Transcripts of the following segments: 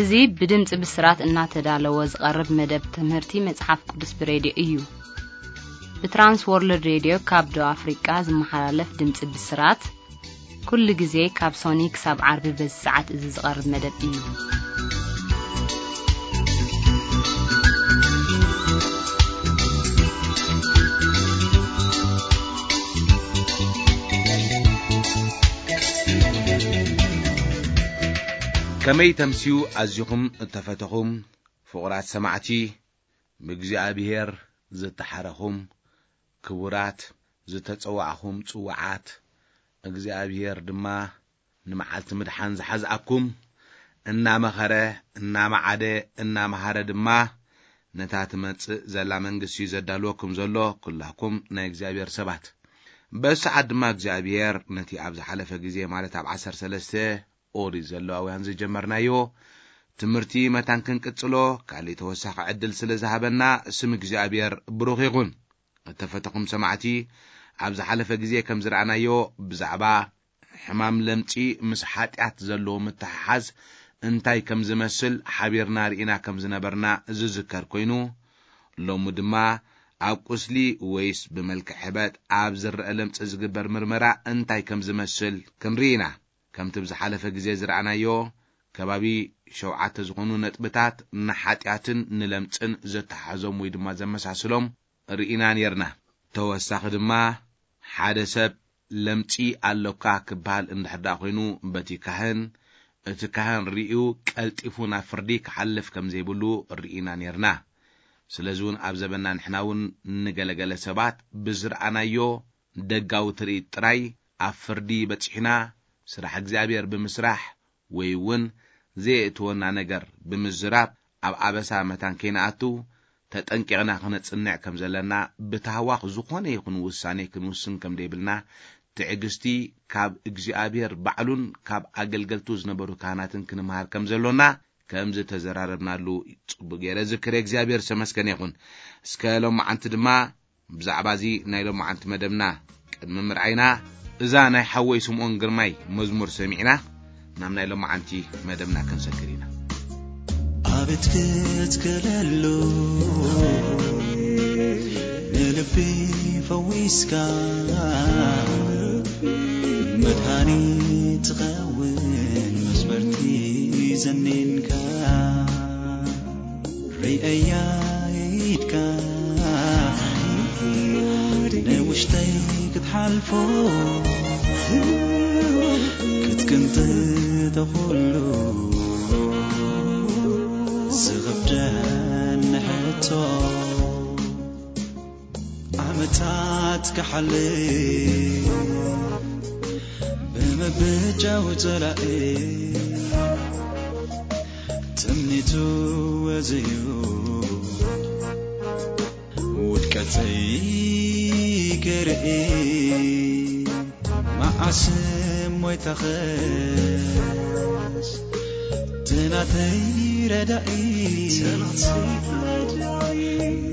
እዚ ብድምፂ ብስራት እናተዳለወ ዝቐርብ መደብ ትምህርቲ መፅሓፍ ቅዱስ ብሬድዮ እዩ። ብትራንስ ወርልድ ሬድዮ ካብ ደቡብ ኣፍሪቃ ዝመሓላለፍ ድምፂ ብስራት፣ ኩሉ ግዜ ካብ ሶኒ ክሳብ ዓርቢ በዚ ሰዓት እዚ ዝቐርብ መደብ እዩ። ከመይ ተምስዩ ኣዚኹም እተፈተኹም ፍቑራት ሰማዕቲ፣ ብእግዚኣብሔር ዝተሓረኹም ክቡራት፣ ዝተጸዋዕኹም ጽዋዓት፣ እግዚኣብሔር ድማ ንመዓልቲ ምድሓን ዝሓዝኣኩም፣ እናመኸረ፣ እናመዓደ፣ እናመሃረ ድማ ነታ ትመጽእ ዘላ መንግስቲ እዩ ዘዳልወኩም ዘሎ፣ ኩላኩም ናይ እግዚኣብሔር ሰባት። በዚ ሰዓት ድማ እግዚኣብሔር ነቲ ኣብ ዝሓለፈ ግዜ፣ ማለት ኣብ ዓሰርተ ሰለስተ ኦሪት ዘለዋውያን ዝጀመርናዮ ትምህርቲ መታን ክንቅጽሎ ካልእ ተወሳኺ ዕድል ስለ ዝሃበና ስም እግዚኣብሔር ብሩኽ ይኹን። እተፈተኹም ሰማዕቲ፣ ኣብ ዝሓለፈ ግዜ ከም ዝረኣናዮ ብዛዕባ ሕማም ለምጺ ምስ ሓጢኣት ዘለዎ ምትሕሓዝ እንታይ ከም ዝመስል ሓቢርና ርኢና ከም ዝነበርና ዝዝከር ኮይኑ፣ ሎሚ ድማ ኣብ ቁስሊ ወይስ ብመልክዕ ሕበጥ ኣብ ዝረአ ለምጺ ዝግበር ምርመራ እንታይ ከም ዝመስል ክንርኢ ኢና። ከምቲ ብዝሓለፈ ግዜ ዝረኣናዮ፣ ከባቢ ሸውዓተ ዝኾኑ ነጥብታት ንሓጢኣትን ንለምጽን ዘተሓሕዞም ወይ ድማ ዘመሳስሎም ርኢና ኔርና። ተወሳኺ ድማ፣ ሓደ ሰብ ለምጺ ኣሎካ ክበሃል እንድሕር ደኣ ኮይኑ፣ በቲ ካህን፣ እቲ ካህን ርእዩ ቀልጢፉ ናብ ፍርዲ ክሓልፍ ከም ዘይብሉ ርኢና ኔርና። ስለዚ እውን ኣብ ዘበንና ንሕና እውን ንገለገለ ሰባት ብዝረኣናዮ ደጋዊ ትርኢት ጥራይ ኣብ ፍርዲ በጺሕና፣ ስራሕ እግዚኣብሔር ብምስራሕ ወይ እውን ዘየእትወና ነገር ብምዝራብ ኣብ ኣበሳ መታን ከይንኣቱ ተጠንቂቕና ክነጽንዕ ከም ዘለና፣ ብታህዋኽ ዝኾነ ይኹን ውሳኔ ክንውስን ከም ደይብልና፣ ትዕግስቲ ካብ እግዚኣብሔር ባዕሉን ካብ ኣገልገልቱ ዝነበሩ ካህናትን ክንምሃር ከም ዘሎና ከም ዝተዘራረብናሉ ጽቡቅ ገይረ ዝክር። እግዚኣብሔር ዝተመስገነ ይኹን። እስከ ሎማዓንቲ ድማ ብዛዕባ እዚ ናይ ሎማዓንቲ መደብና ቅድሚ ምርኣይና፣ እዛ ናይ ሓወይ ስምኦን ግርማይ መዝሙር ሰሚዕና ናብ ናይ ሎማዓንቲ መደብና ክንሰግር ኢና። ኣቤት ክትክለሉ ንልቢ ፈዊስካ፣ መድሃኒት ትኸውን መስበርቲ ዘኒንካ፣ ርእያ ኢድካ ንውሽጠይ ክትሓልፎ ክትቅንጥጥ ኩሉ ዝኽብደኒ ሕቶ። ዓመታት ክሓልፍ ብምብጃው ጸላኢ ትምኒቱ ወዘዩ ውድቀተይ ክርኢ መዓስ ሞይታኸስ ትናተይ ረዳኢ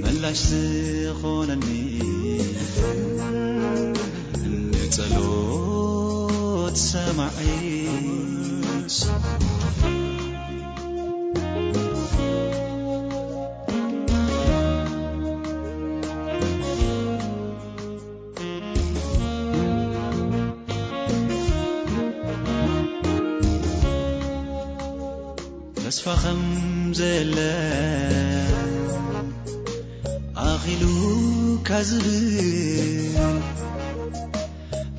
ምላሽ ዝኾነኒ ንጸሎት ሰማዒ። ተስፋ ከም ዘለ ኣኺሉ ካዝብል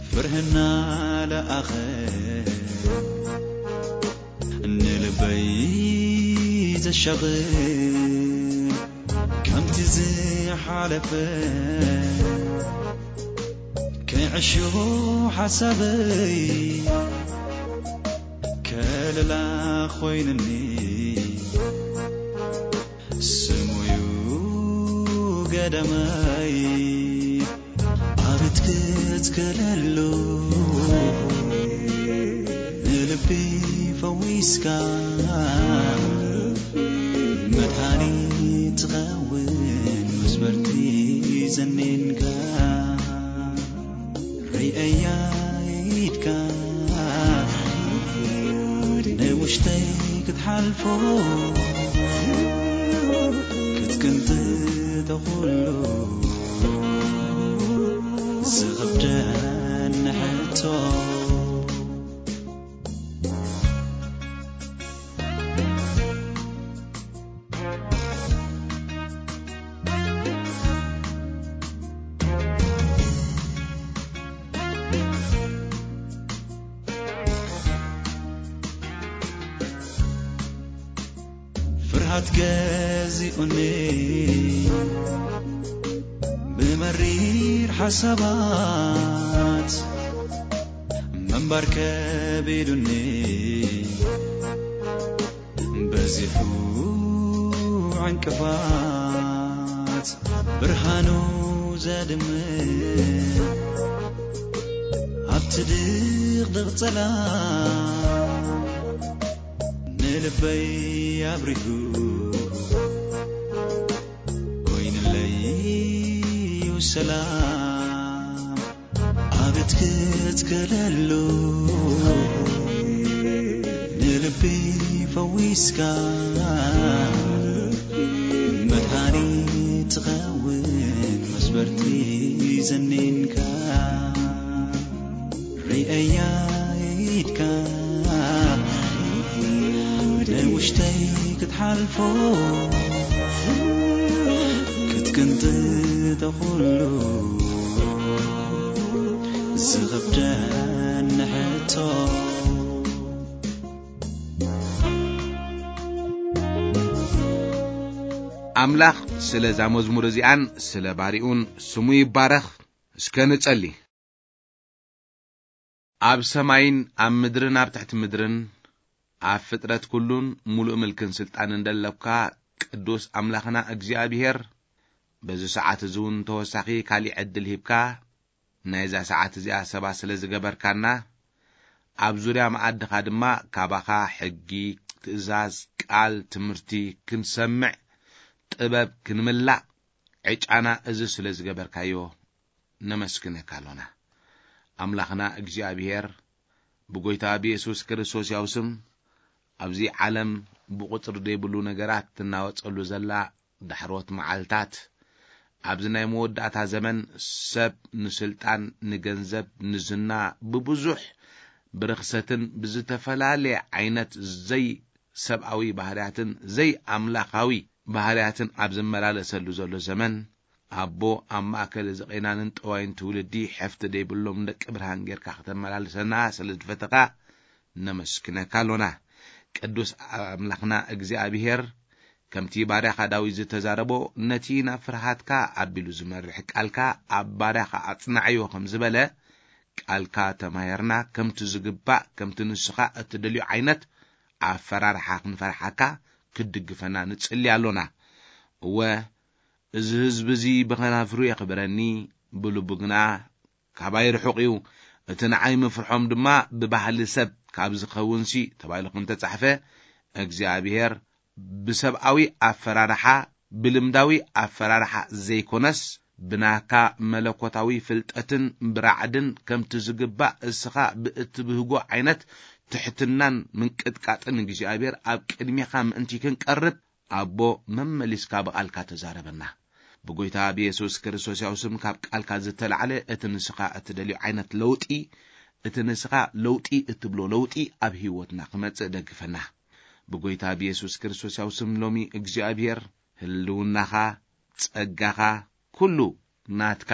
ፍርህና ለኣኸ ንልበይ ዘሻቕል ከምቲ ዝሓለፈ ክዕሾ ሓሳበይ ከለላ ኮይንኒ ስሙዩ ገዳማይ ኣቤት ክትከለሉ ንልቢ ፈዊስካ መድሃኒት ትኸውን መስበርቲ ዘኒንካ ርእያ ኢድካ ውሽጠይ ክትሓልፎ ክትቅንጥጦ ኩሉ ዝኽብደኒ ሕቶ። ፍርሃት ገዚኡኒ ብመሪር ሓሳባት ምንባር ከቢዱኒ በዚሑ ዕንቅፋት ብርሃኑ ዘድምዕ ኣብቲ ድቕድቕ ጸላም ንልበይ ኣብሪሁ ኮይንለይ እዩ ሰላም። ኣቤት ክትክለሉ ንልቢ ፈዊስካ መድሃኒ ትኸውን መስበርቲ ዘኒንካ ርእያ ኢድካ ናይ ውሽጠይ ክትሓልፎ ክትቅንጥጦ ኩሉ ዝኽብደኒ ሕቶ። ኣምላኽ ስለ እዛ መዝሙር እዚኣን ስለ ባሪኡን ስሙ ይባረኽ። እስከ ንጸሊ። ኣብ ሰማይን ኣብ ምድርን ኣብ ትሕቲ ምድርን ኣብ ፍጥረት ኩሉን ሙሉእ ምልክን ስልጣንን ደለካ ቅዱስ ኣምላኽና እግዚኣብሄር፣ በዚ ሰዓት እዚ እውን ተወሳኺ ካሊእ ዕድል ሂብካ ናይዛ ሰዓት እዚኣ ሰባ ስለ ዝገበርካና፣ ኣብ ዙርያ መኣድኻ ድማ ካባኻ ሕጊ፣ ትእዛዝ፣ ቃል፣ ትምህርቲ ክንሰምዕ ጥበብ ክንምላእ ዕጫና እዚ ስለ ዝገበርካዮ ነመስግነካ ኣሎና። ኣምላኽና እግዚኣብሄር፣ ብጎይታ ብየሱስ ክርስቶስ ያው ስም ኣብዚ ዓለም ብቑጽሪ ዘይብሉ ነገራት ትናወጸሉ ዘላ ዳሕሮት መዓልታት፣ ኣብዚ ናይ መወዳእታ ዘመን ሰብ ንስልጣን፣ ንገንዘብ፣ ንዝና ብብዙሕ ብርኽሰትን ብዝተፈላለየ ዓይነት ዘይሰብኣዊ ባህርያትን ዘይኣምላኻዊ ባህርያትን ኣብ ዝመላለሰሉ ዘሎ ዘመን፣ ኣቦ ኣብ ማእከል እዚ ቄናንን ጠዋይን ትውልዲ ሕፍቲ ዘይብሎም ደቂ ብርሃን ጌርካ ከተመላልሰና ስለ ዝፈተኻ ነመስግነካ ኣሎና። ቅዱስ ኣምላኽና እግዚኣብሄር፣ ከምቲ ባርያኻ ዳዊት ዝተዛረቦ፣ ነቲ ናብ ፍርሃትካ ኣቢሉ ዝመርሕ ቃልካ ኣብ ባርያኻ ኣጽናዕዮ ከም ዝበለ፣ ቃልካ ተማሂርና ከምቲ ዝግባእ፣ ከምቲ ንስኻ እትደልዮ ዓይነት ኣፈራርሓ ክንፈርሓካ ክትድግፈና ንጽሊ ኣሎና። እወ፣ እዚ ህዝቢ እዚ ብኸናፍሩ የኽብረኒ፣ ብልቡ ግና ካባይ ርሑቕ እዩ። እቲ ንዓይ ምፍርሖም ድማ ብባህሊ ሰብ ካብ ዝኸውንሲ ተባሂሉ ከም ተጻሕፈ፣ እግዚኣብሄር ብሰብኣዊ ኣፈራርሓ፣ ብልምዳዊ ኣፈራርሓ ዘይኮነስ፣ ብናካ መለኮታዊ ፍልጠትን ብራዕድን ከምቲ ዝግባእ እስኻ ብእትብህጎ ዓይነት ትሕትናን ምንቅጥቃጥን እግዚኣብሄር ኣብ ቅድሜኻ ምእንቲ ክንቀርብ፣ ኣቦ መመሊስካ ብቓልካ ተዛረበና። ብጎይታ ብየሱስ ክርስቶስ ያው ስም ካብ ቃልካ ዝተላዕለ እቲ ንስኻ እትደልዮ ዓይነት ለውጢ፣ እቲ ንስኻ ለውጢ እትብሎ ለውጢ ኣብ ህይወትና ክመጽእ ደግፈና። ብጎይታ ብየሱስ ክርስቶስ ያው ስም ሎሚ እግዚኣብሄር ህልውናኻ፣ ጸጋኻ፣ ኩሉ ናትካ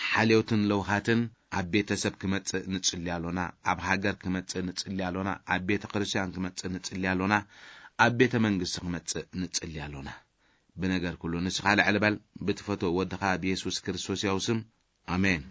ሓልዮትን ለውሃትን ኣብ ቤተሰብ ክመጽእ ንጽሊ ኣሎና፣ ኣብ ሃገር ክመጽእ ንጽሊ ኣሎና፣ ኣብ ቤተ ክርስቲያን ክመጽእ ንጽሊ ኣሎና፣ ኣብ ቤተ መንግስቲ ክመጽእ ንጽሊ ኣሎና። ብነገር ኩሉ ንስኻ ልዕል በል፣ ብትፈትዎ ወድኻ ብየሱስ ክርስቶስ ያው ስም፣ ኣሜን።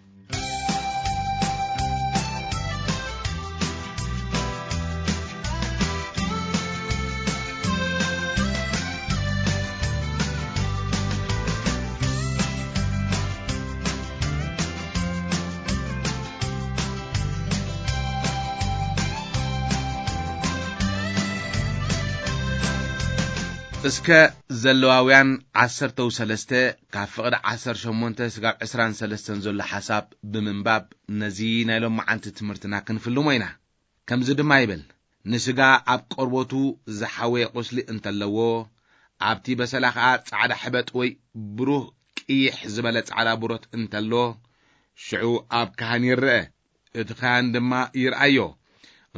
እስከ ዘለዋውያን ዓሰርተው ሰለስተ ካብ ፍቕዲ ዓሰርተ ሸሞንተ ስጋብ ዕስራን ሰለስተን ዘሎ ሓሳብ ብምንባብ ነዚ ናይ ሎመዓንቲ ትምህርትና ክንፍልሞ ኢና። ከምዚ ድማ ይብል፣ ንስጋ ኣብ ቆርበቱ ዝሓወየ ቁስሊ እንተለዎ፣ ኣብቲ በሰላ ኸኣ ጻዕዳ ሕበጥ ወይ ብሩህ ቅይሕ ዝበለ ጻዕዳ ብሮት እንተሎ፣ ሽዑ ኣብ ካህን ይርአ። እቲ ካህን ድማ ይርኣዮ።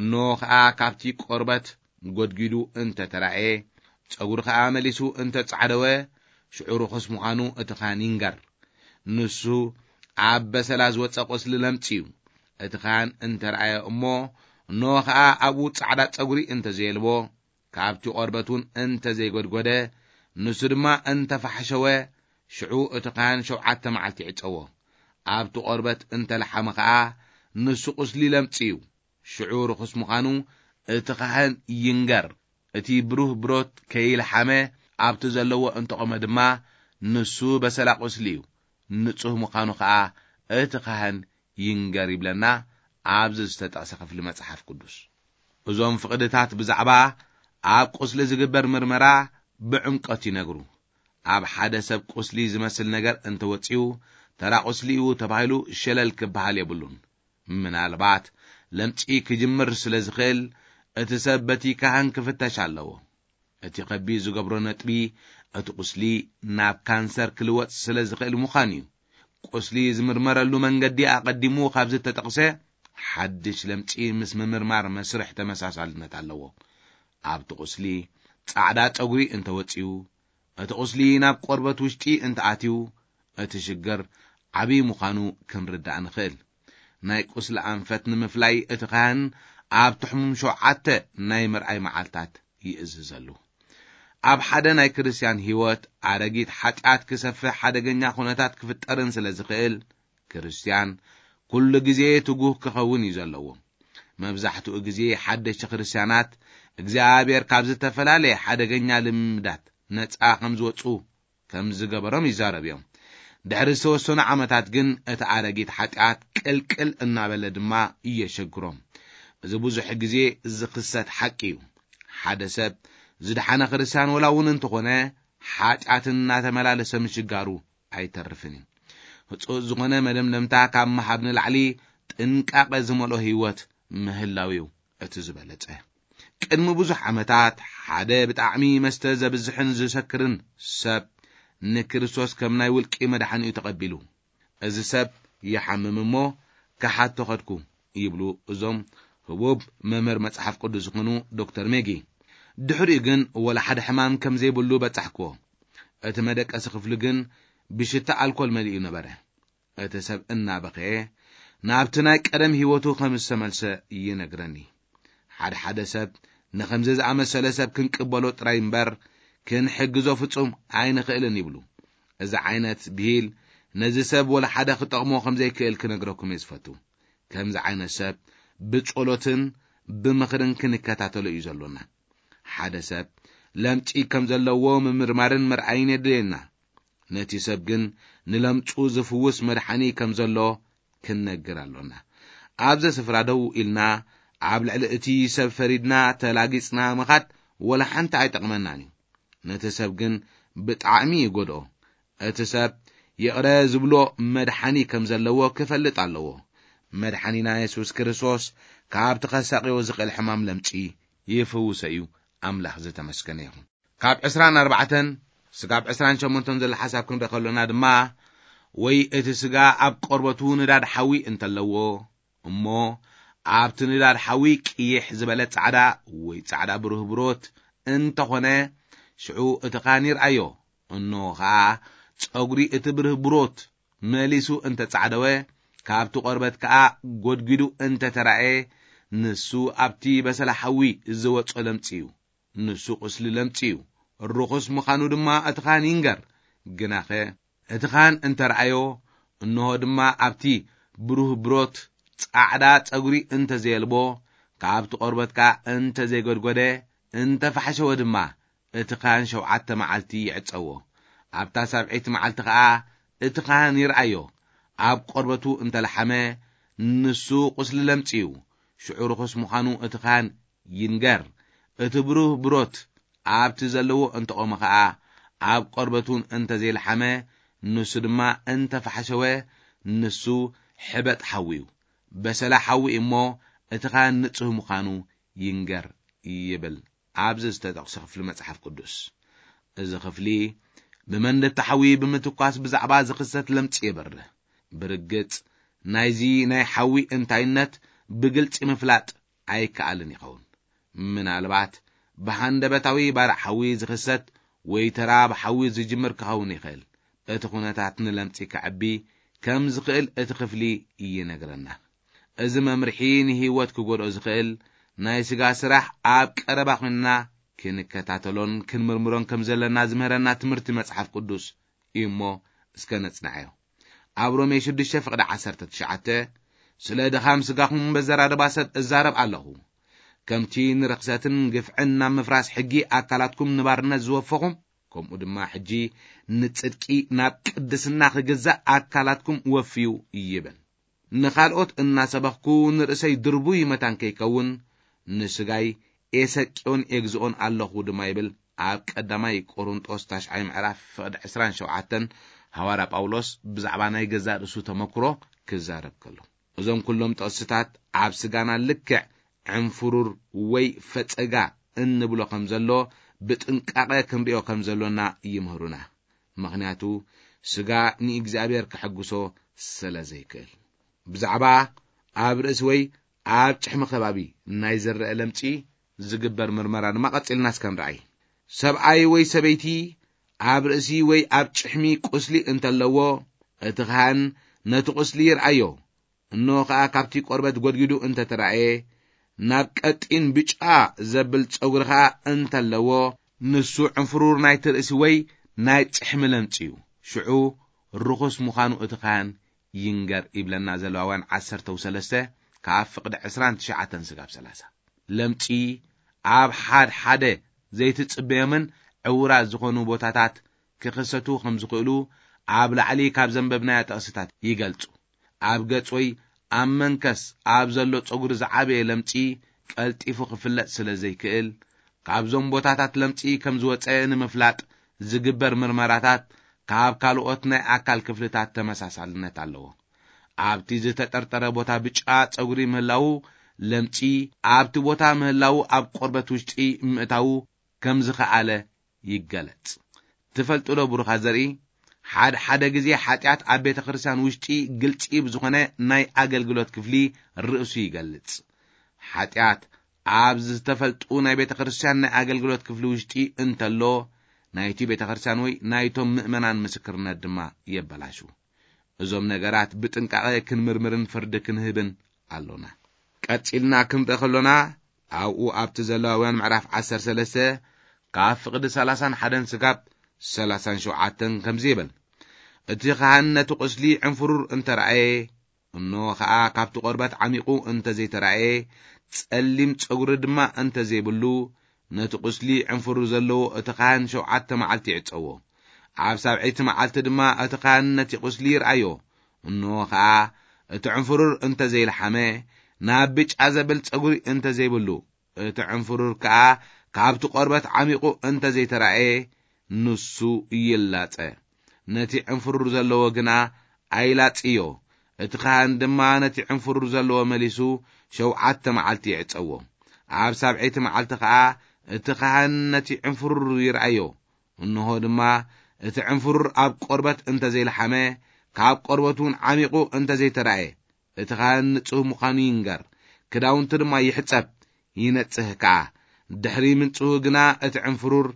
እንሆ ኸኣ ካብቲ ቆርበት ጎድጒዱ እንተ ተራእየ፣ ጸጉሪ ኸኣ መሊሱ እንተ ጻዕደወ፣ ሽዑ ርኹስ ምዃኑ እቲ ካህን ይንገር። ንሱ ኣብ በሰላ ዝወጸ ቁስሊ ለምጺ እዩ። እቲ ካህን እንተ ረኣየ እሞ፣ እንሆ ኸኣ ኣብኡ ጻዕዳ ጸጉሪ እንተ ዘየልቦ፣ ካብቲ ቆርበት እውን እንተ ዘይጎድጎደ፣ ንሱ ድማ እንተ ፋሕሸወ፣ ሽዑ እቲ ካህን ሸውዓተ መዓልቲ ይዕጸዎ። ኣብቲ ቆርበት እንተ ለሓመ ኸኣ፣ ንሱ ቁስሊ ለምጺ እዩ። ሽዑ ርኹስ ምዃኑ እቲ ካህን ይንገር። እቲ ብሩህ ብሮት ከይለሓመ ኣብቲ ዘለዎ እንተቖመ ድማ፣ ንሱ በሰላ ቁስሊ እዩ። ንጹህ ምዃኑ ኸኣ እቲ ካህን ይንገር ይብለና ኣብዚ ዝተጠቕሰ ክፍሊ መጽሓፍ ቅዱስ። እዞም ፍቕድታት ብዛዕባ ኣብ ቁስሊ ዝግበር ምርመራ ብዕምቆት ይነግሩ። ኣብ ሓደ ሰብ ቁስሊ ዝመስል ነገር እንተወጺኡ፣ ተራ ቁስሊ እዩ ተባሂሉ ሸለል ክበሃል የብሉን። ምናልባት ለምጺ ክጅምር ስለ ዝኽእል፣ እቲ ሰብ በቲ ካህን ክፍተሽ ኣለዎ። እቲ ከቢድ ዝገብሮ ነጥቢ፣ እቲ ቁስሊ ናብ ካንሰር ክልወጥ ስለ ዝኽእል ምዃን እዩ። ቁስሊ ዝምርመረሉ መንገዲ ኣቐዲሙ ካብ ዝተጠቕሰ፣ ሓድሽ ለምጺ ምስ ምምርማር መስርሕ ተመሳሳልነት ኣለዎ። ኣብቲ ቁስሊ ጻዕዳ ጸጉሪ እንተወጺኡ፣ እቲ ቁስሊ ናብ ቆርበት ውሽጢ እንተኣትዩ፣ እቲ ሽግር ዓብዪ ምዃኑ ክንርዳእ ንኽእል። ናይ ቁስሊ ኣንፈት ንምፍላይ እቲ ካህን ኣብ ትሕሙም ሸውዓተ ናይ ምርኣይ መዓልታት ይእዝዘሉ። ኣብ ሓደ ናይ ክርስትያን ህይወት ኣረጊት ሓጢኣት ክሰፍሕ ሓደገኛ ኩነታት ክፍጠርን ስለ ዝኽእል፣ ክርስትያን ኩሉ ግዜ ትጉህ ክኸውን እዩ ዘለዎ። መብዛሕትኡ ግዜ ሓደሽቲ ክርስትያናት እግዚኣብሔር ካብ ዝተፈላለየ ሓደገኛ ልምዳት ነጻ ከም ዝወጹ ከም ዝገበሮም ይዛረብ እዮም። ድሕሪ ዝተወሰኑ ዓመታት ግን እቲ ኣረጊት ሓጢኣት ቅልቅል እናበለ ድማ እየሸግሮም። እዚ ብዙሕ ግዜ ዝኽሰት ሓቂ እዩ። ሓደ ሰብ ዝደሓነ ክርስትያን ወላ እውን እንተኾነ ሓጢኣትን እናተመላለሰ ምሽጋሩ ኣይተርፍን እዩ። ህጹጽ ዝኾነ መደምደምታ ካብ ምሃብ ንላዕሊ ጥንቃቐ ዝመልኦ ህይወት ምህላው እዩ እቲ ዝበለጸ። ቅድሚ ብዙሕ ዓመታት ሓደ ብጣዕሚ መስተ ዘብዝሕን ዝሰክርን ሰብ ንክርስቶስ ከም ናይ ውልቂ መድሓኒኡ ተቐቢሉ። እዚ ሰብ ይሓምም እሞ ክሓቶ ኸድኩ ይብሉ እዞም ህቡብ መምህር መጽሓፍ ቅዱስ ዝኾኑ ዶክተር ሜጊ። ድሕሪኡ ግን ወላ ሓደ ሕማም ከም ዘይብሉ በጻሕክዎ። እቲ መደቀሲ ክፍሊ ግን ብሽታ ኣልኮል መሊኡ ነበረ። እቲ ሰብ እናበኸየ ናብቲ ናይ ቀደም ህይወቱ ከም ዝተመልሰ ይነግረኒ። ሓደ ሓደ ሰብ ንኸምዚ ዝኣመሰለ ሰብ ክንቅበሎ ጥራይ እምበር ክንሕግዞ ፍጹም ኣይንኽእልን ይብሉ። እዚ ዓይነት ብሂል ነዚ ሰብ ወላ ሓደ ክጠቕሞ ከም ዘይክእል ክነግረኩም እየ ዝፈቱ። ከምዚ ዓይነት ሰብ ብጸሎትን ብምኽርን ክንከታተሎ እዩ ዘሎና። ሓደ ሰብ ለምጺ ከም ዘለዎ ምምርማርን ምርኣይን የድልየና። ነቲ ሰብ ግን ንለምጹ ዝፍውስ መድሓኒ ከም ዘሎ ክንነግር ኣሎና። ኣብዚ ስፍራ ደው ኢልና ኣብ ልዕሊ እቲ ሰብ ፈሪድና ተላጊጽና ምኻድ ወላ ሓንቲ ኣይጠቕመናን እዩ። ነቲ ሰብ ግን ብጣዕሚ ይጎድኦ። እቲ ሰብ ይቕረ ዝብሎ መድሓኒ ከም ዘለዎ ክፈልጥ ኣለዎ። መድሓኒና የሱስ ክርስቶስ ካብቲ ከሳቕዮ ዝኽእል ሕማም ለምጺ ይፍውሶ እዩ። ኣምላኽ ዝተመስገነ ይኹን። ካብ ዕስራን ኣርባዕተን ስጋብ ዕስራን ሸሞንተን ዘሎ ሓሳብ ክንርኢ ከሎና ድማ፣ ወይ እቲ ስጋ ኣብ ቆርበቱ ንዳድ ሓዊ እንተለዎ፣ እሞ ኣብቲ ንዳድ ሓዊ ቅይሕ ዝበለ ጻዕዳ ወይ ጻዕዳ ብሩህ ብሮት እንተኾነ፣ ሽዑ እቲ ካህን ይርኣዮ። እንሆ ኸኣ ጸጉሪ እቲ ብሩህ ብሮት መሊሱ እንተጻዕደወ፣ ካብቲ ቆርበት ከኣ ጎድጒዱ እንተተራእየ፣ ንሱ ኣብቲ በሰላ ሓዊ ዝወጾ ለምጺ እዩ። ንሱ ቁስሊ ለምጺ እዩ። ርኹስ ምዃኑ ድማ እቲ ኻህን ይንገር። ግናኸ እቲ ኻህን እንተ ረኣዮ፣ እንሆ ድማ ኣብቲ ብሩህ ብሮት ጻዕዳ ጸጉሪ እንተ ዘየልቦ፣ ካብቲ ቆርበት ከኣ እንተ ዘይጎድጎደ፣ እንተ ፋሕሸወ ድማ፣ እቲ ኻህን ሸውዓተ መዓልቲ ይዕጸዎ። ኣብታ ሳብዐይቲ መዓልቲ ኸኣ እቲ ኻህን ይርኣዮ። ኣብ ቆርበቱ እንተ ለሓመ፣ ንሱ ቁስሊ ለምጺ እዩ። ሽዑ ርኹስ ምዃኑ እቲ ኻህን ይንገር። እቲ ብሩህ ብሮት ኣብቲ ዘለዎ እንተቖመ ኸኣ፣ ኣብ ቆርበቱን እንተ ዘይለሓመ፣ ንሱ ድማ እንተ ፋሕሸወ፣ ንሱ ሕበጥ ሓዊ እዩ። በሰላ ሓዊ እሞ፣ እቲ ኻህን ንጹህ ምዃኑ ይንገር ይብል ኣብዚ ዝተጠቕሰ ክፍሊ መጽሓፍ ቅዱስ። እዚ ክፍሊ ብመንደቲ ሓዊ ብምትኳስ ብዛዕባ ዝኽሰት ለምጺ የብርህ። ብርግጽ ናይዚ ናይ ሓዊ እንታይነት ብግልጺ ምፍላጥ ኣይከኣልን ይኸውን። ምናልባት ብሃንደበታዊ ባርዕ ሓዊ ዝኽሰት ወይ ተራ ብሓዊ ዝጅምር ክኸውን ይኽእል። እቲ ኩነታት ንለምጺ ከዕቢ ከም ዝኽእል እቲ ክፍሊ ይነግረና። እዚ መምርሒ ንህይወት ክጎድኦ ዝኽእል ናይ ስጋ ስራሕ ኣብ ቀረባ ኮይንና ክንከታተሎን ክንምርምሮን ከም ዘለና ዝምህረና ትምህርቲ መጽሓፍ ቅዱስ እዩ እሞ፣ እስከ ነጽንዓዮ። ኣብ ሮሜ ሽዱሽተ ፍቕዲ ዓሰርተ ትሽዓተ፣ ስለ ድኻም ስጋኹም በዘራርባ ሰብ እዛረብ ኣለኹ፣ ከምቲ ንርኽሰትን ግፍዕን ናብ ምፍራስ ሕጊ ኣካላትኩም ንባርነት ዝወፈኹም፣ ከምኡ ድማ ሕጂ ንጽድቂ ናብ ቅድስና ክግዛእ ኣካላትኩም ወፍዩ ይብል። ንኻልኦት እናሰበኽኩ ንርእሰይ ድርቡይ መታን ከይከውን ንስጋይ ኤሰቅዮን ኤግዝኦን ኣለኹ ድማ ይብል። ኣብ ቀዳማይ ቆሮንጦስ ታሽዓይ ምዕራፍ ፍቕዲ ዕስራን ሸውዓተን ሃዋርያ ጳውሎስ ብዛዕባ ናይ ገዛእ ርእሱ ተመክሮ ክዛረብ ከሎ፣ እዞም ኩሎም ጥቕስታት ኣብ ስጋና ልክዕ ዕንፍሩር ወይ ፈጸጋ እንብሎ ከም ዘሎ ብጥንቃቐ ክንሪኦ ከም ዘሎና ይምህሩና። ምኽንያቱ ስጋ ንእግዚኣብሔር ከሐግሶ ስለ ዘይክእል። ብዛዕባ ኣብ ርእሲ ወይ ኣብ ጭሕሚ ከባቢ ናይ ዝረአ ለምጺ ዝግበር ምርመራ ድማ ቀጺልና እስከ ንርኣይ። ሰብኣይ ወይ ሰበይቲ ኣብ ርእሲ ወይ ኣብ ጭሕሚ ቁስሊ እንተለዎ፣ እቲ ካህን ነቲ ቁስሊ ይርኣዮ። እንሆ ኸኣ ካብቲ ቆርበት ጎድጊዱ እንተ ተራእየ፣ ናብ ቀጢን ብጫ ዘብል ጸጉሪ ኸኣ እንተለዎ፣ ንሱ ዕንፍሩር ናይቲ ርእሲ ወይ ናይ ጭሕሚ ለምጺ እዩ። ሽዑ ርኹስ ምዃኑ እቲ ካህን ይንገር ይብለና ዘሌዋውያን ዓሰርተ ሰለስተ ካብ ፍቕዲ ዕስራን ትሽዓተን ስጋብ ሰላሳ። ለምጺ ኣብ ሓድ ሓደ ዘይትጽበዮምን ዕዉራት ዝኾኑ ቦታታት ክኽሰቱ ከም ዝኽእሉ ኣብ ላዕሊ ካብ ዘንበብናዮ ጥቕስታት ይገልጹ። ኣብ ገጽ ወይ ኣብ መንከስ ኣብ ዘሎ ጸጉሪ ዝዓበየ ለምጺ ቀልጢፉ ክፍለጥ ስለ ዘይክእል፣ ካብዞም ቦታታት ለምጺ ከም ዝወጸ ንምፍላጥ ዝግበር ምርመራታት ካብ ካልኦት ናይ ኣካል ክፍልታት ተመሳሳልነት ኣለዎ። ኣብቲ ዝተጠርጠረ ቦታ ብጫ ጸጉሪ ምህላዉ፣ ለምጺ ኣብቲ ቦታ ምህላዉ ኣብ ቆርበት ውሽጢ ምእታዉ ከም ዝኸኣለ ይገለጽ። ትፈልጡ ዶ ብሩኻት ዘርኢ፣ ሓደ ሓደ ግዜ ሓጢኣት ኣብ ቤተ ክርስቲያን ውሽጢ ግልጺ ብዝኾነ ናይ ኣገልግሎት ክፍሊ ርእሱ ይገልጽ። ሓጢኣት ኣብ ዝተፈልጡ ናይ ቤተ ክርስቲያን ናይ ኣገልግሎት ክፍሊ ውሽጢ እንተሎ፣ ናይቲ ቤተ ክርስቲያን ወይ ናይቶም ምእመናን ምስክርነት ድማ የበላሹ። እዞም ነገራት ብጥንቃቐ ክንምርምርን ፍርዲ ክንህብን ኣሎና። ቀጺልና ክንርኢ ከሎና፣ ኣብኡ ኣብቲ ዘሌዋውያን ምዕራፍ ዓሰርተ ሰለስተ ካብ ፍቕዲ ሰላሳን ሓደን ስጋብ ሰላሳን ሸውዓተን ከምዚ ይብል፣ እቲ ካህን ነቲ ቁስሊ ዕንፍሩር እንተ ረኣየ፣ እንሆ ኸኣ ካብቲ ቆርበት ዓሚቑ እንተ ዘይተራእየ፣ ጸሊም ጸጉሪ ድማ እንተ ዘይብሉ፣ ነቲ ቁስሊ ዕንፍሩር ዘለዎ እቲ ካህን ሸውዓተ መዓልቲ ይዕጸዎ። ኣብ ሳብዐይቲ መዓልቲ ድማ እቲ ካህን ነቲ ቁስሊ ይርኣዮ። እንሆ ኸኣ እቲ ዕንፍሩር እንተ ዘይለሓመ፣ ናብ ብጫ ዘብል ጸጉሪ እንተ ዘይብሉ፣ እቲ ዕንፍሩር ከኣ ካብቲ ቆርበት ዓሚቑ እንተ ዘይተራእየ፣ ንሱ ይላጸ። ነቲ ዕንፍሩር ዘለዎ ግና ኣይላጽዮ። እቲ ካህን ድማ ነቲ ዕንፍሩር ዘለዎ መሊሱ ሸውዓተ መዓልቲ ይዕጸዎ። ኣብ ሳብዐይቲ መዓልቲ ኸኣ እቲ ካህን ነቲ ዕንፍሩር ይርኣዮ። እንሆ ድማ እቲ ዕንፍሩር ኣብ ቆርበት እንተ ዘይለሓመ፣ ካብ ቆርበት እውን ዓሚቑ እንተ ዘይተራእየ፣ እቲ ካህን ንጹህ ምዃኑ ይንገር፣ ክዳውንቱ ድማ ይሕጸብ፣ ይነጽህ ከኣ። ድሕሪ ምንጽሁ ግና እቲ ዕንፍሩር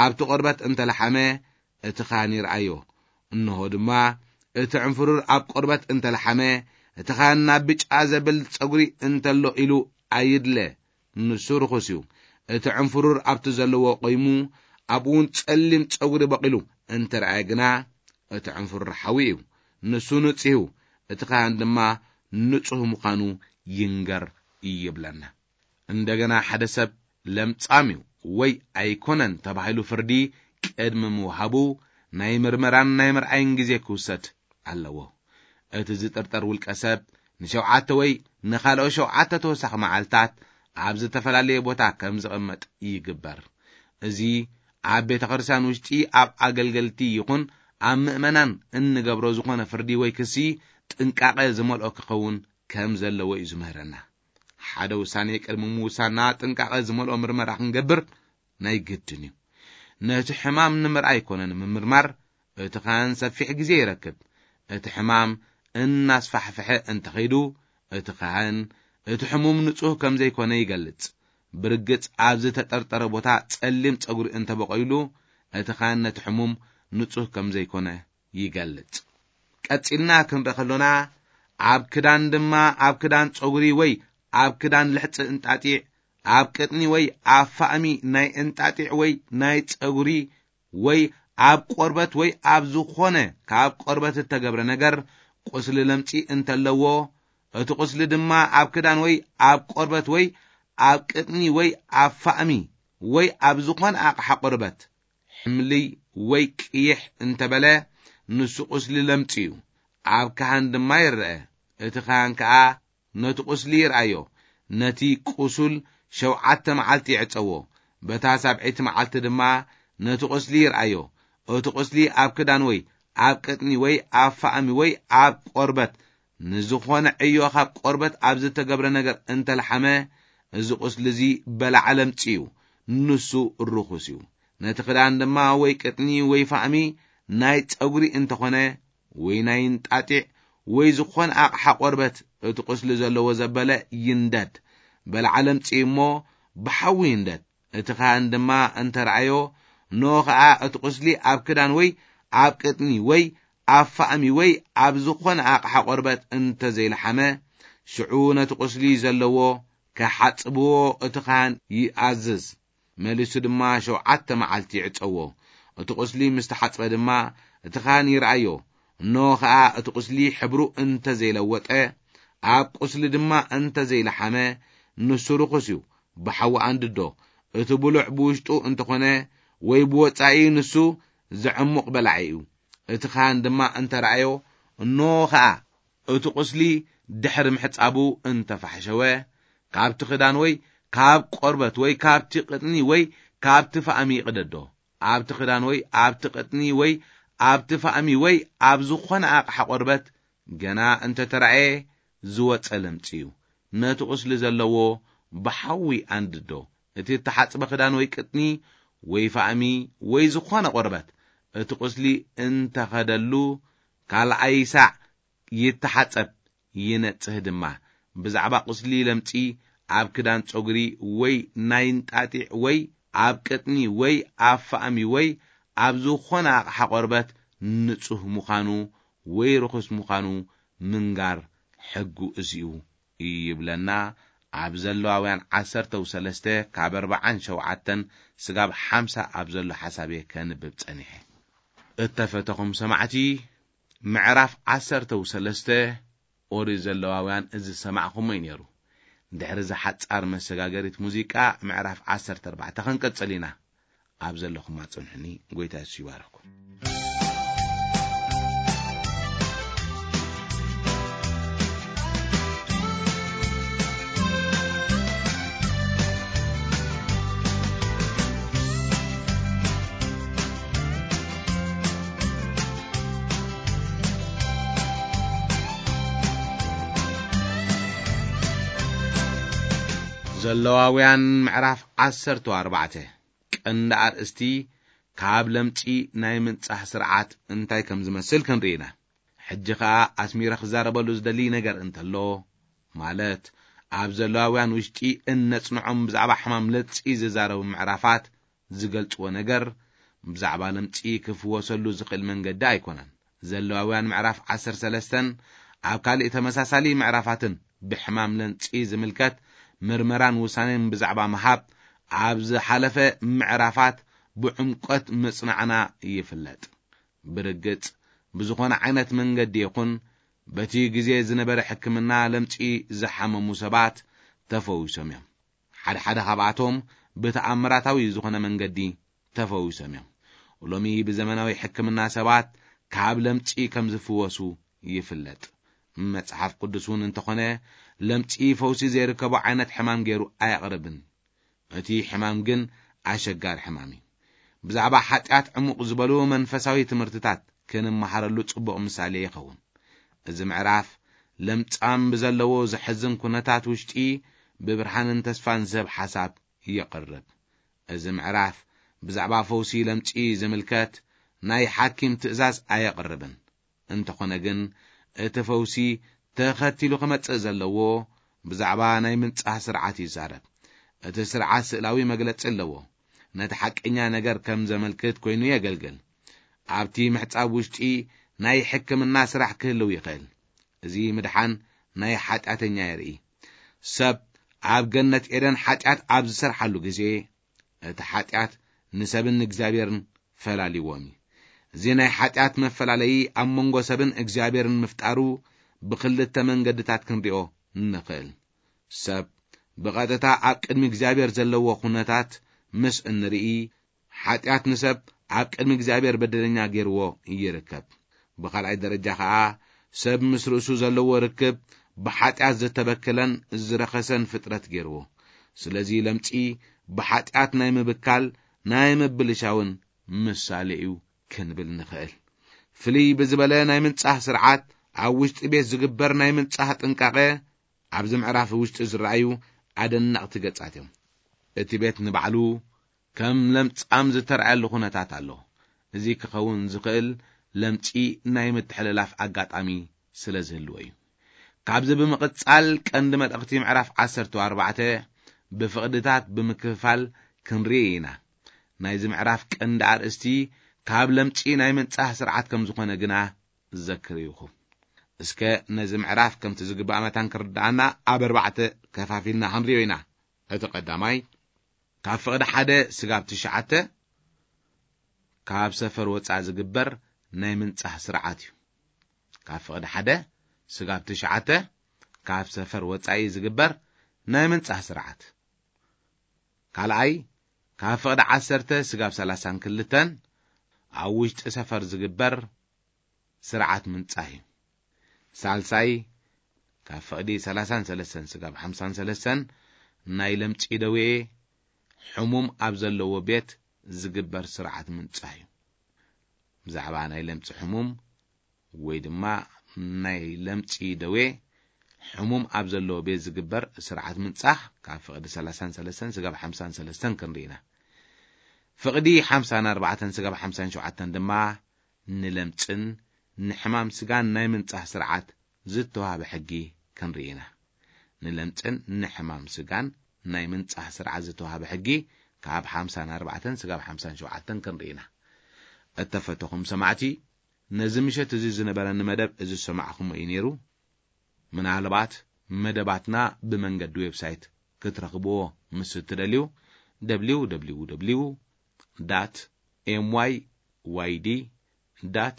ኣብቲ ቆርበት እንተ ለሓመ፣ እቲ ካህን ይርኣዮ። እንሆ ድማ እቲ ዕንፍሩር ኣብ ቆርበት እንተ ለሓመ፣ እቲ ካህን ናብ ብጫ ዘብል ጸጉሪ እንተሎ ኢሉ ኣይድለ፣ ንሱ ርኹስ እዩ። እቲ ዕንፍሩር ኣብቲ ዘለዎ ቆይሙ፣ ኣብኡ እውን ጸሊም ጸጉሪ በቒሉ እንተ ረኣየ ግና፣ እቲ ዕንፍሩር ሓዊ እዩ። ንሱ ንጹህ እዩ፣ እቲ ካህን ድማ ንጹህ ምዃኑ ይንገር ይብለና። እንደገና ሓደ ሰብ ለምጻም እዩ ወይ ኣይኮነን ተባሂሉ ፍርዲ ቅድሚ ምውሃቡ፣ ናይ ምርመራን ናይ ምርኣይን ግዜ ክውሰድ ኣለዎ። እቲ ዝጥርጠር ውልቀ ሰብ ንሸውዓተ ወይ ንኻልኦ ሸውዓተ ተወሳኺ መዓልታት ኣብ ዝተፈላለየ ቦታ ከም ዝቕመጥ ይግበር። እዚ ኣብ ቤተ ክርስቲያን ውሽጢ ኣብ ኣገልገልቲ ይኹን ኣብ ምእመናን እንገብሮ ዝኾነ ፍርዲ ወይ ክሲ ጥንቃቐ ዝመልኦ ክኸውን ከም ዘለዎ እዩ ዝምህረና። ሓደ ውሳኔ ቅድሚ ምውሳንና ጥንቃቐ ዝመልኦ ምርመራ ክንገብር ናይ ግድን እዩ። ነቲ ሕማም ንምርኣይ ኮነ ንምምርማር እቲ ካህን ሰፊሕ ግዜ ይረክብ። እቲ ሕማም እናስፋሕፍሐ እንተኸይዱ፣ እቲ ካህን እቲ ሕሙም ንጹህ ከም ዘይኮነ ይገልጽ። ብርግጽ ኣብ ዝተጠርጠረ ቦታ ጸሊም ጸጉሪ እንተበቐይሉ፣ እቲ ካህን ነቲ ሕሙም ንጹህ ከም ዘይኮነ ይገልጽ። ቀጺልና ክንርኢ ከሎና፣ ኣብ ክዳን ድማ፣ ኣብ ክዳን ጸጉሪ ወይ ኣብ ክዳን ልሕጺ እንጣጢዕ፣ ኣብ ቅጥኒ ወይ ኣብ ፋእሚ ናይ እንጣጢዕ ወይ ናይ ጸጉሪ ወይ ኣብ ቆርበት ወይ ኣብ ዝኾነ ካብ ቆርበት እተገብረ ነገር ቁስሊ ለምጺ እንተለዎ፣ እቲ ቁስሊ ድማ ኣብ ክዳን ወይ ኣብ ቆርበት ወይ ኣብ ቅጥኒ ወይ ኣብ ፋእሚ ወይ ኣብ ዝኾነ ኣቕሓ ቆርበት ሕምልይ ወይ ቅይሕ እንተበለ፣ ንሱ ቁስሊ ለምጺ እዩ። ኣብ ካህን ድማ ይረአ። እቲ ካህን ከኣ ነቲ ቁስሊ ይርኣዮ። ነቲ ቁሱል ሸውዓተ መዓልቲ ይዕጸዎ። በታ ሳብዐይቲ መዓልቲ ድማ ነቲ ቁስሊ ይርኣዮ። እቲ ቁስሊ ኣብ ክዳን ወይ ኣብ ቅጥኒ ወይ ኣብ ፋእሚ ወይ ኣብ ቆርበት ንዝኾነ ዕዮ ካብ ቆርበት ኣብ ዝተገብረ ነገር እንተልሓመ፣ እዚ ቁስሊ እዚ በላዕ ለምጺ እዩ፣ ንሱ ርኹስ እዩ። ነቲ ክዳን ድማ ወይ ቅጥኒ ወይ ፋእሚ ናይ ጸጉሪ እንተኾነ፣ ወይ ናይ እንጣጢዕ ወይ ዝኾነ ኣቕሓ ቆርበት እቲ ቁስሊ ዘለዎ ዘበለ ይንደድ፣ በላዕ ለምጺ እሞ ብሓዊ ይንደድ። እቲ ካህን ድማ እንተ ረኣዮ፣ እንሆ ኸኣ እቲ ቁስሊ ኣብ ክዳን ወይ ኣብ ቅጥኒ ወይ ኣብ ፋእሚ ወይ ኣብ ዝኾነ ኣቕሓ ቆርበት እንተ ዘይለሓመ፣ ሽዑ ነቲ ቁስሊ ዘለዎ ክሓጽብዎ እቲ ካህን ይኣዝዝ። መሊሱ ድማ ሸውዓተ መዓልቲ ይዕጸዎ። እቲ ቁስሊ ምስ ተሓጽበ ድማ እቲ ካህን ይርኣዮ። እንሆ ኸኣ እቲ ቁስሊ ሕብሩ እንተ ዘይለወጠ፣ ኣብ ቁስሊ ድማ እንተ ዘይለሓመ፣ ንሱ ርኹስ እዩ፣ ብሓዊ ኣንድዶ። እቲ ብሉዕ ብውሽጡ እንተኾነ ወይ ብወጻኢ፣ ንሱ ዘዕሙቕ በላዒ እዩ። እቲ ካህን ድማ እንተ ረኣዮ፣ እንሆ ኸኣ እቲ ቁስሊ ድሕሪ ምሕጻቡ እንተ ፋሕሸወ፣ ካብቲ ክዳን ወይ ካብ ቆርበት ወይ ካብቲ ቅጥኒ ወይ ካብቲ ፋእሚ ይቕደዶ። ኣብቲ ክዳን ወይ ኣብቲ ቅጥኒ ወይ ኣብቲ ፋእሚ ወይ ኣብ ዝኾነ ኣቕሓ ቆርበት ገና እንተ ተራእየ ዝወጸ ለምጺ እዩ። ነቲ ቁስሊ ዘለዎ ብሓዊ ኣንድዶ። እቲ እተሓጽበ ክዳን ወይ ቅጥኒ ወይ ፋእሚ ወይ ዝኾነ ቆርበት እቲ ቁስሊ እንተ ኸደሉ፣ ካልኣይ ሳዕ ይተሓጸብ፣ ይነጽህ ድማ። ብዛዕባ ቁስሊ ለምጺ ኣብ ክዳን ጸጉሪ ወይ ናይ እንጣጢዕ ወይ ኣብ ቅጥኒ ወይ ኣብ ፋእሚ ወይ ኣብ ዝኾነ ኣቕሓ ቆርበት ንጹህ ምዃኑ ወይ ርኹስ ምዃኑ ምንጋር ሕጉ እዚ እዩ ይብለና። ኣብ ዘለዋውያን ዓሰርተ ሰለስተ ካብ ኣርብዓን ሸውዓተን ስጋብ ሓምሳ ኣብ ዘሎ ሓሳብ እየ ከንብብ ጸኒሐ። እተፈተኹም ሰማዕቲ፣ ምዕራፍ ዓሰርተ ሰለስተ ኦሪት ዘለዋውያን እዚ ዝሰማዕኹሞ እዩ ነይሩ። ድሕሪ እዚ ሓጻር መሰጋገሪት ሙዚቃ፣ ምዕራፍ ዓሰርተ ኣርባዕተ ክንቅጽል ኢና። ኣብ ዘለኹም ኣጽንሑኒ። ጎይታ የሱስ ይባርኽኩም። ዘለዋውያን ምዕራፍ ዓሰርተ ኣርባዕተ። ቀንዲ ኣርእስቲ፣ ካብ ለምጺ ናይ ምንጻህ ስርዓት እንታይ ከም ዝመስል ክንርኢ ኢና። ሕጂ ኸኣ ኣስሚረ ክዛረበሉ ዝደሊ ነገር እንተሎ፣ ማለት ኣብ ዘለዋውያን ውሽጢ እነጽንዖም ብዛዕባ ሕማም ለምጺ ዝዛረቡ ምዕራፋት ዝገልጽዎ ነገር፣ ብዛዕባ ለምጺ ክፍወሰሉ ዝኽእል መንገዲ ኣይኮነን። ዘለዋውያን ምዕራፍ ዓሰርተ ሰለስተን ኣብ ካልእ ተመሳሳሊ ምዕራፋትን ብሕማም ለምጺ ዝምልከት ምርመራን ውሳኔን ብዛዕባ ምሃብ ኣብ ዝሓለፈ ምዕራፋት ብዕምቆት ምጽናዕና ይፍለጥ። ብርግጽ፣ ብዝኾነ ዓይነት መንገዲ ይኹን በቲ ግዜ ዝነበረ ሕክምና ለምጺ ዝሓመሙ ሰባት ተፈዊሶም እዮም። ሓደ ሓደ ካብኣቶም ብተኣምራታዊ ዝኾነ መንገዲ ተፈዊሶም እዮም። ሎሚ ብዘመናዊ ሕክምና ሰባት ካብ ለምጺ ከም ዝፍወሱ ይፍለጥ። መጽሓፍ ቅዱስ እውን እንተኾነ ለምጺ ፈውሲ ዘይርከቦ ዓይነት ሕማም ገይሩ ኣየቕርብን። እቲ ሕማም ግን ኣሸጋሪ ሕማም እዩ። ብዛዕባ ሓጢኣት ዕሙቕ ዝበሉ መንፈሳዊ ትምህርትታት ክንመሃረሉ ጽቡቕ ምሳሌ ይኸውን። እዚ ምዕራፍ ለምጻም ብዘለዎ ዘሕዝን ኩነታት ውሽጢ ብብርሃንን ተስፋን ዝህብ ሓሳብ የቕርብ። እዚ ምዕራፍ ብዛዕባ ፈውሲ ለምጺ ዝምልከት ናይ ሓኪም ትእዛዝ ኣየቕርብን። እንተኾነ ግን፣ እቲ ፈውሲ ተኸቲሉ ክመጽእ ዘለዎ ብዛዕባ ናይ ምንጻህ ስርዓት ይዛረብ። እቲ ስርዓት ስእላዊ መግለጺ ኣለዎ። ነቲ ሓቀኛ ነገር ከም ዘመልክት ኮይኑ የገልግል። ኣብቲ ምሕጻብ ውሽጢ ናይ ሕክምና ስራሕ ክህልው ይኽእል። እዚ ምድሓን ናይ ሓጢኣተኛ የርኢ። ሰብ ኣብ ገነት ኤደን ሓጢኣት ኣብ ዝሰርሓሉ ግዜ፣ እቲ ሓጢኣት ንሰብን እግዚኣብሔርን ፈላሊዎም እዩ። እዚ ናይ ሓጢኣት መፈላለዪ ኣብ መንጎ ሰብን እግዚኣብሔርን ምፍጣሩ ብኽልተ መንገድታት ክንሪኦ ንኽእል። ሰብ ብቐጥታ ኣብ ቅድሚ እግዚኣብሔር ዘለዎ ኩነታት ምስ እንርኢ፣ ሓጢኣት ንሰብ ኣብ ቅድሚ እግዚኣብሔር በደለኛ ገይርዎ ይርከብ። ብኻልኣይ ደረጃ ኸኣ፣ ሰብ ምስ ርእሱ ዘለዎ ርክብ ብሓጢኣት ዝተበከለን ዝረኸሰን ፍጥረት ገይርዎ። ስለዚ ለምጺ ብሓጢኣት ናይ ምብካል፣ ናይ ምብልሻውን ምሳሌ እዩ ክንብል ንኽእል። ፍልይ ብዝበለ ናይ ምንጻህ ስርዓት፣ ኣብ ውሽጢ ቤት ዝግበር ናይ ምንጻህ ጥንቃቐ ኣብዚ ምዕራፍ ውሽጢ ዝረኣዩ ኣደነቕቲ ገጻት እዮም። እቲ ቤት ንባዕሉ ከም ለምጻም ዝተራእየሉ ኩነታት ኣሎ። እዚ ክኸውን ዝኽእል ለምጺ ናይ ምትሕልላፍ ኣጋጣሚ ስለ ዝህልዎ እዩ። ካብዚ ብምቕጻል ቀንዲ መልእኽቲ ምዕራፍ ዓሰርተ ኣርባዕተ ብፍቕድታት ብምክፍፋል ክንርኢ ኢና። ናይዚ ምዕራፍ ቀንዲ ኣርእስቲ ካብ ለምጺ ናይ ምንጻህ ስርዓት ከም ዝኾነ ግና ዘክር ኢኹም። እስከ ነዚ ምዕራፍ ከምቲ ዝግባእ መታን ክርድኣና ኣብ ኣርባዕተ ከፋፊልና ክንሪኦ ኢና። እቲ ቀዳማይ፣ ካብ ፍቕዲ ሓደ ስጋብ ትሽዓተ ካብ ሰፈር ወጻኢ ዝግበር ናይ ምንጻህ ስርዓት እዩ። ካብ ፍቕዲ ሓደ ስጋብ ትሽዓተ ካብ ሰፈር ወጻኢ ዝግበር ናይ ምንጻህ ስርዓት። ካልኣይ፣ ካብ ፍቕዲ ዓሰርተ ስጋብ ሰላሳን ክልተን ኣብ ውሽጢ ሰፈር ዝግበር ስርዓት ምንጻህ እዩ። ሳልሳይ፣ ካብ ፍቕዲ ሰላሳን ሰለስተን ስጋብ ሓምሳን ሰለስተን ናይ ለምጺ ደዌ ሕሙም ኣብ ዘለዎ ቤት ዝግበር ስርዓት ምንጻህ እዩ። ብዛዕባ ናይ ለምጺ ሕሙም ወይ ድማ ናይ ለምጺ ደዌ ሕሙም ኣብ ዘለዎ ቤት ዝግበር ስርዓት ምንጻህ ካብ ፍቕዲ ሰላሳን ሰለስተን ስጋብ ሓምሳን ሰለስተን ክንርኢ ኢና። ፍቕዲ ሓምሳን ኣርባዕተን ስጋብ ሓምሳን ሸውዓተን ድማ ንለምጽን ንሕማም ስጋን ናይ ምንጻህ ስርዓት ዝተዋህበ ሕጊ ክንርኢ ኢና። ንለምጽን ንሕማም ስጋን ናይ ምንጻህ ስርዓት ዝተዋህበ ሕጊ ካብ ሓምሳን ኣርባዕተን ስጋብ ሓምሳን ሸውዓተን ክንርኢ ኢና። እተፈተኹም ሰማዕቲ፣ ነዚ ምሸት እዚ ዝነበረኒ መደብ እዚ ዝሰማዕኹሞ እዩ ነይሩ። ምናልባት መደባትና ብመንገዲ ዌብሳይት ክትረኽብዎ ምስ እትደልዩ፣ www dot myyd dot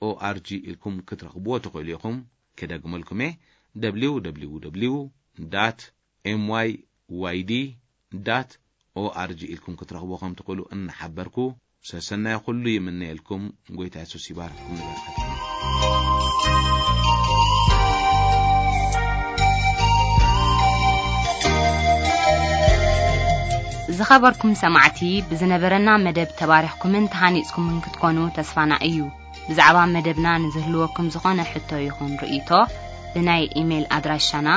org ኢልኩም ክትረኽብዎ ትኽእሉ ኢኹም። ክደግመልኩም እየ፣ www dot myyd dot org ኢልኩም ክትረኽብዎ ከም ትኽእሉ እናሓበርኩ፣ ሰሰናይ ኩሉ ይምነየልኩም። ጎይታ የሱስ ይባርኽኩም። ንበረኸት ዝኸበርኩም ሰማዕቲ፣ ብዝነበረና መደብ ተባሪኽኩምን ተሃኒጽኩምን ክትኮኑ ተስፋና እዩ። ብዛዕባ መደብና ንዝህልወኩም ዝኾነ ሕቶ ይኹን ርእይቶ፣ ብናይ ኢሜይል ኣድራሻና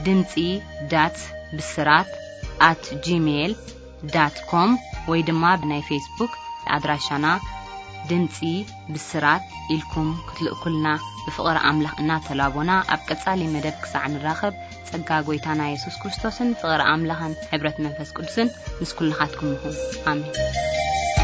ድምጺ ዳት ብስራት ኣት ጂሜይል ዳት ኮም ወይ ድማ ብናይ ፌስቡክ ኣድራሻና ድምጺ ብስራት ኢልኩም ክትልእኩልና ብፍቕሪ ኣምላኽ እናተላቦና፣ ኣብ ቀጻሊ መደብ ክሳዕ ንራኸብ፣ ጸጋ ጎይታና የሱስ ክርስቶስን ፍቕሪ ኣምላኽን ሕብረት መንፈስ ቅዱስን ምስ ኩልኻትኩም ይኹን። ኣሜን።